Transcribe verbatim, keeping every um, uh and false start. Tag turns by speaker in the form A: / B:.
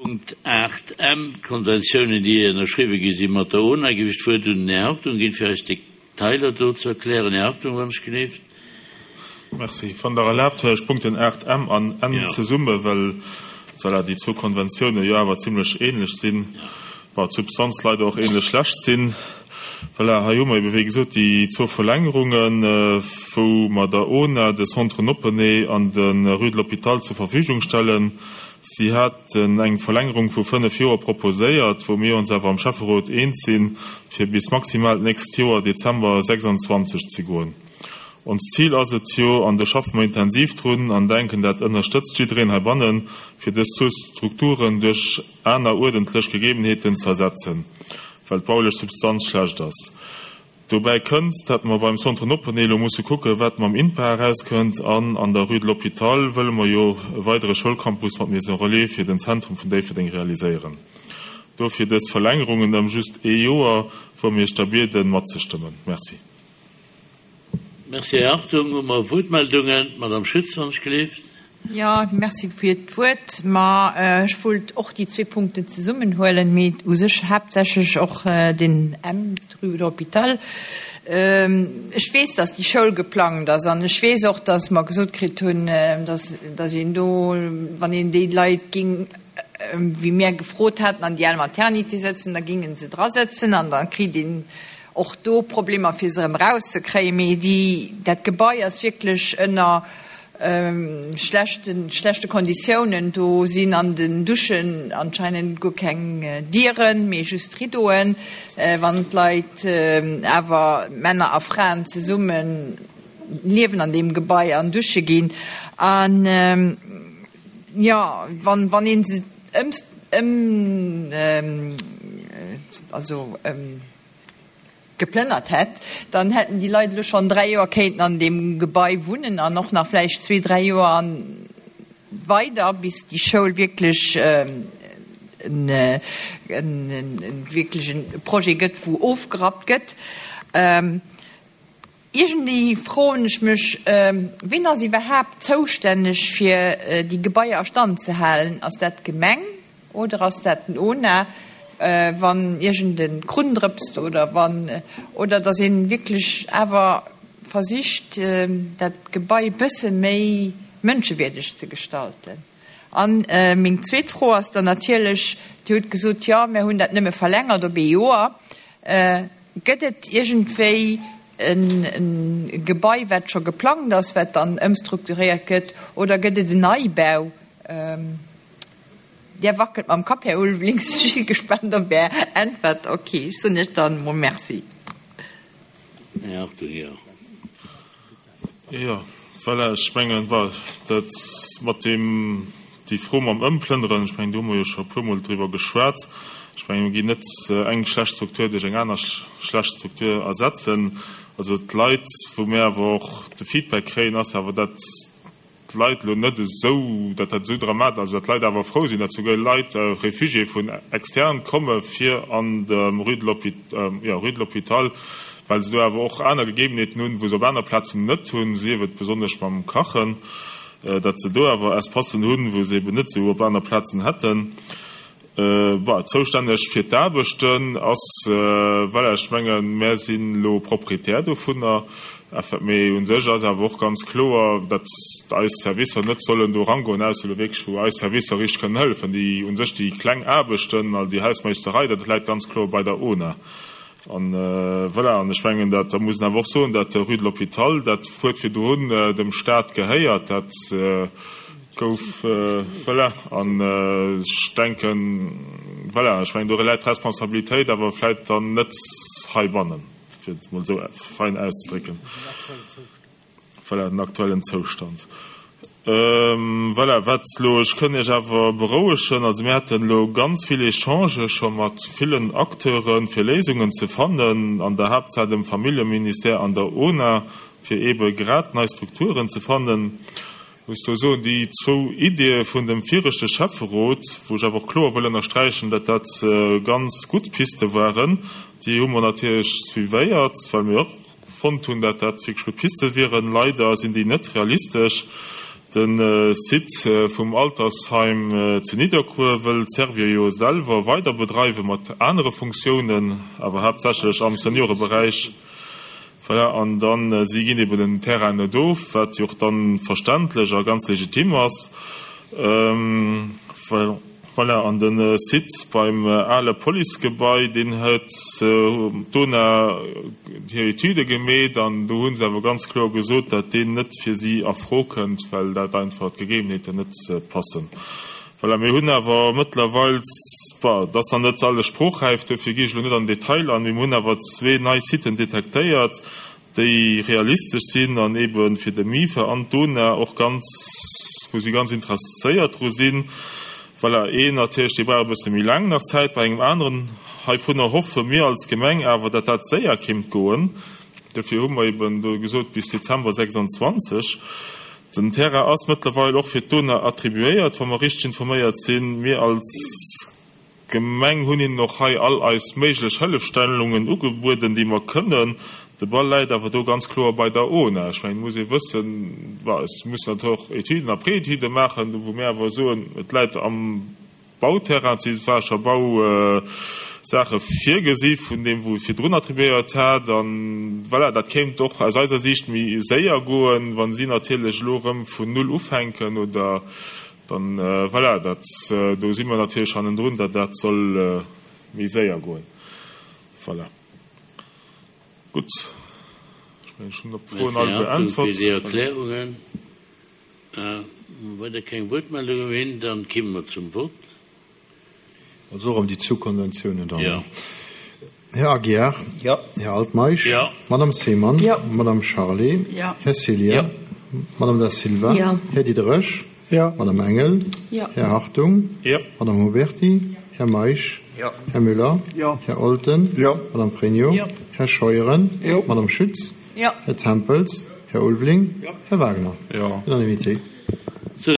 A: Punkt aacht M, d'Konventiounen, déi ënnerschriwwe gi si mat der O N A, géif ech d'Wuert un den Här Hartung ginn, fir eis Detailer do ze erklären. Här Hartung, wann ech gelift.
B: Merci. Wann Der erlaabt, huelen ech d'Punkten aacht M an N
A: Ja.
B: zesumme, well voilà, déi zwou Konventioune jo awer zimlech ähnlech sinn, bon, d'Substanz leider och ähnlech schlecht sinn. Voilà, hei hu mer ebe wéi gesot déi zwou Verlängerungen, äh, wou mer der O N A de Centre Noppeney an de Rue de l'Hôpital zur Verfügung stellen. Si haten eng Verlängerung vu fënnef Joer proposéiert, wou mir ons awer am Schäfferot eens sinn, fir bis maximal d'nächst Joer Dezember sechsundzwanzeg ze goen. Ons Zil ass et jo, an do schaffe mer intensiv drun an denken, dat ënnerstëtzt jiddereen heibannen, fir dës zwou Strukturen duerch aner uerdentlech Gegebenheeten ze ersetzen, well d'baulech Substanz schlecht ass. Dobäi kënnt, dat mer beim Centre Noppeney lo musse kucke wat mam INPA erauskënnt, an an der Rue de l'Hôpital wëlle mer jo e weidere Schoulcampus mat Maison Relais fir den Zentrum vun Déifferdeng realiséieren. Dofir dës Verlängerungen ëm just ee Joer, wou mir iech da bieden matzestëmmen. Merci.
A: Merci, Här Hartung. Hu mer Wuertmeldungen? Madame Schütz, wann ech gelift.
C: Ja, merci fir d'Wuert. Ma äh, ech wollt och déi zwee Punkten zesummenhuelen, mee u sech haaptsächlech och äh, den M Rue de l'Hôpital. Ähm, ech weess, dass déi Schoul geplangt ass an ech weess och, dass mer gesot kritt hunn, äh, dass, dass een do, wann een déi Leit géing äh, wéi mir gefrot haten, an déi al Maternité setzen, da gingen se dra setzen an da kritt een och do Problemer fir se erëm rauszekréien, mee déi dat Gebai ass wierklech ënner ähm, schlechten schlechte Konditiounen. Do sinn an den Duschen anscheinend guer keng äh, Dieren, mee just Rideauen. Äh, wann d'Leit äh, awer Männer a Fraen zesumme liewen an deem Gebai an dusche ginn an ähm, ja, wann wann een se ëm ëm ähm, also ähm, geplënnert hätt, dann hätten déi Leit schonn dräi Joer kéinten an deem Gebai wunnen an och nach vläicht zwee, dräi Joer an weider, bis déi Schoul wierklech ähm, en, en, en, en wierklech e Projet gëtt, wou ofgerappt gëtt. Ähm, iergendwéi froen ech mech, ähm, wien ass iwwerhaapt zoustänneg fir äh, déi Gebaier a Stand ze halen? Ass dat d'Gemeng oder ass dat den O N A? Äh, wann iergend e Krunn drëpst oder wann äh, oder dass een wierklech awer versicht, äh, dat Gebai bësse méi mënschewierdeg ze gestalten. An äh, meng zweet Fro ass dann natierlech, Dir hutt gesot, ja, mir hunn dat nëmme verlängert op ee Joer. Äh, gëtt et iergendwéi en, en Gebai, wat scho geplangt ass, wat dann ëmstrukturéiert gëtt, oder gëtt et en Neibau? Ähm, Dir wackelt mam Kapp, Här Ulveling, ech si gespaant op Är Äntwert. Okay, ech soen iech dann mol Merci.
A: Här Hartung, ja.
B: Ja, voilà, ech mengen, dat mat deem déi Fro mam Ëmplënneren, ech mengen, do hu mer jo scho puermol driwwer geschwat. Ech mengen, mir ginn net eng schlecht Struktur duerch eng aner schlecht Struktur ersetzen. Also d'Leit, wou mir awer och de Feedback kréien, ass awer dat d'Leit lo net esou, dat dat esou dramatesch, also dat d'Leit awer frou sinn, dat souguer Leit äh, Refugié vun extern komme fir an dem Rue de l'Hôpital, äh, ja, Rue de l'Hôpital, well se do awer och aner Gegebenheeten hunn, wou se op aner Plazen net hunn, sief et besonnesch mam Kachen, äh, dat se do awer Espacen hunn, wou se eben net sou op aner Plazen hätten. Äh, bah, zoustänneg fir d'Aarbechten ass, äh, well ech mengen, mir sinn lo Proprietär dovunner, mee u sech ass awer och ganz kloer, datt eis Servicer net sollen do rangoen, ausser lo wierklech wou eis Servicer richteg kënnen hëllefen. Déi u sech déi kleng Aarbechten, all déi Hausmeisterei, dat läit ganz kloer bei der O N A. An äh, voilà, an ech mengen, dat da muss een awer och soen, dat de Rue de l'Hôpital, dat huet virdrun äh, dem Staat gehéiert, dat äh, gouf äh, voilà, an äh, ech denken, voilà, ech mengen, do läit d'Responsabilitéit awer vläicht dann net heibannen, fir et mol sou fein auszedrécken. Voilà, den aktuellen Zoustand. Ähm, voilà, wat lo, ech kënn iech awer berouegen, also mir haten lo ganz vill Echangë scho mat villen Acteuren, fir Léisungen ze fannen, an der Haaptsaach dem Familljeministère an der O N A, fir ebe grad nei Strukturen ze fannen. Muss do soen, déi zwou Ideeë vun dem viregte Schäfferot, wou ech awer och kloer wëll ënnersträichen, datt dat äh, ganz gutt Piste waren, déi hu mer natierlech suivéiert, well mir och fonnt hunn, datt dat wierklech gutt Piste wieren. Leider sinn déi net realistesch. De Site vum Altersheim zu Nidderkuer wëll Servior jo selwer weider bedreiwe mat anere Funktiounen, awer haaptsächlech am Senioreberäich. Voilà, an dann, si ginn eben den Terrain net of, wat jo och dann verständlech a ganz legitim ass. Voilà, an de Site beim ale Policegebai, deen huet d'ONA hir Etüde gemeet an do hu se awer ganz kloer gesot, datt deen net fir si a Fro kënnt, well dat einfach d'Gegebenheeten net passen. Voilà, mir hunn awer mëttlerweil, bon, et ass nach net alles sprochräif, duerfir gi ech elo net an den Detail an, mee mir hunn awer zwee nei Siten detektéiert, déi realistesch sinn an ebe fir de MIFA an d'ONA och ganz, wou si ganz interesséiert dru sinn. Voilà, een natierlech, dee brauch e bësse méi laang nach Zäit. Bei engem aneren heivunner hoffe mir als Gemeng awer, datt dat séier kéint goen. Dofir hu mer eben do gesot bis Dezember sechsandzwanzeg. Den Terrain ass mëttlerweil och fir d'ONA attribuéiert, wa mer richteg informéiert sinn. Mir als Gemeng hunn hinnen och hei all eis méiglech Hëllefstellungen ugebueden, déi mer kënnen. De Ball läit awer do ganz kloer bei der ONA. Ech mengen, et muss ee wëssen, bon, et muss natierlech och Etüden a Préétudë maachen, wou mir awer soen, et läit am Bauterrain, et si zwar scho Bausaache virgesi vun deem, wou et virdrun attribuéiert hat. An voilà, dat kéint och aus eiser Siicht méi séier goen, wa si natierlech elo erëm vun null ufänken oder dann, voilà, dat, do si mer natierlech hannendrun, datt dat soll méi séier goen. Voilà. Gutt, ech mengen, ech hunn op d'Froen all
A: beäntwert. Merci, Här Hartung, fir déi
B: beäntwert.
A: Erklärungen. Wa weider keng Wuertmeldunge méi sinn, dann kimme mer zum Vott.
D: Also och ëm déi zwou Konventiounen dann.
A: Jo.
D: Här Aguiar.
E: Jo.
D: Här Altmeisch.
A: Jo.
D: Madame Seemann.
C: Jo.
D: Madame Charlé.
C: Jo.
D: Här Ceglia.
A: Jo.
D: Madame Da Silva.
C: Jo.
D: Här Diderich.
E: Jo.
D: Madame Engel.
C: Jo.
D: Här Hartung.
B: Jo.
D: Madame Huberty. Här Meisch.
E: Jo.
D: Här Müller.
E: Jo.
D: Här Olten.
E: Jo.
D: Madame Pregno.
C: Jo.
D: Här Scheuren.
E: Jo.
D: Madame Schütz.
C: Jo.
D: Här Tempels. Här Ulveling.
E: Jo.
D: Här Wagner.
B: Jo.
D: Unanimité.